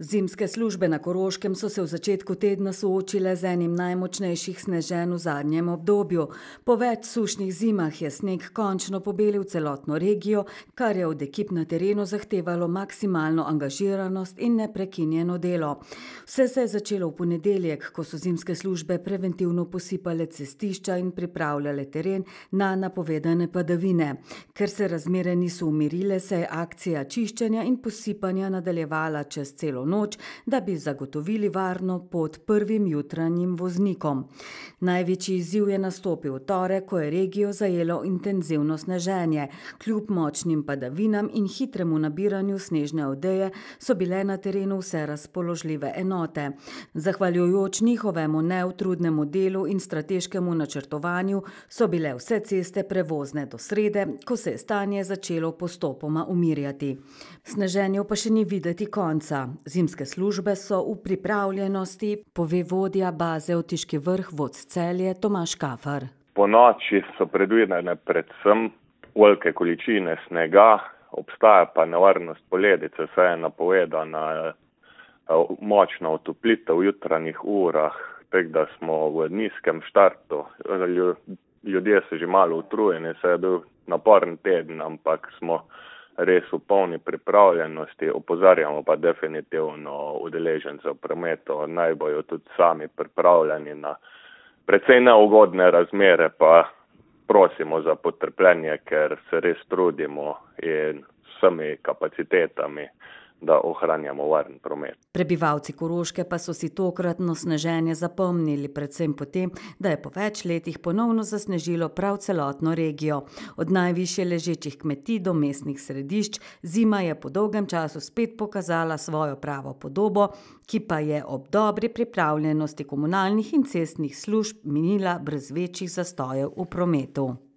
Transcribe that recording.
Zimske službe na Koroškem so se v začetku tedna soočile z enim najmočnejših sneženj v zadnjem obdobju. Po več sušnih zimah je sneg končno pobelil celotno regijo, kar je od ekip na terenu zahtevalo maksimalno angažiranost in neprekinjeno delo. Vse se je začelo v ponedeljek, ko so zimske službe preventivno posipale cestišča in pripravljale teren na napovedane padavine. Ker se razmere niso umirile, se je akcija čiščenja in posipanja nadaljevala čez celo noč, da bi zagotovili varno pot prvim jutranjim voznikom. Največji izziv je nastopil v torek, ko je regijo zajelo intenzivno sneženje. Kljub močnim padavinam in hitremu nabiranju snežne odeje so bile na terenu vse razpoložljive enote. Zahvaljujoč njihovemu neutrudnemu delu in strateškemu načrtovanju so bile vse ceste prevozne do srede, ko se je stanje začelo postopoma umirjati. Sneženju pa še ni videti konca. Zimske službe so v pripravljenosti, pove vodja baze Otiški Vrh vodc Celje Tomaž Kafar. Po noči so predvidene predvsem velike količine snega, obstaja pa nevarnost poledice, saj je napovedana močna otoplitev v jutranjih urah, tako da smo v nizkem štartu. Ljudje so že malo utrujeni, saj je bil naporen teden, ampak smo res v polni pripravljenosti, opozarjamo pa definitivno udeležence v prometu, naj bojo tudi sami pripravljeni na precej neugodne razmere, pa prosimo za potrpljenje, ker se res trudimo in vsemi kapacitetami, da ohranjamo varen promet. Prebivalci Koroške pa so si tokratno sneženje zapomnili predvsem potem, da je po več letih ponovno zasnežilo prav celotno regijo. Od najvišje ležečih kmetij do mestnih središč zima je po dolgem času spet pokazala svojo pravo podobo, ki pa je ob dobri pripravljenosti komunalnih in cestnih služb minila brez večjih zastojev v prometu.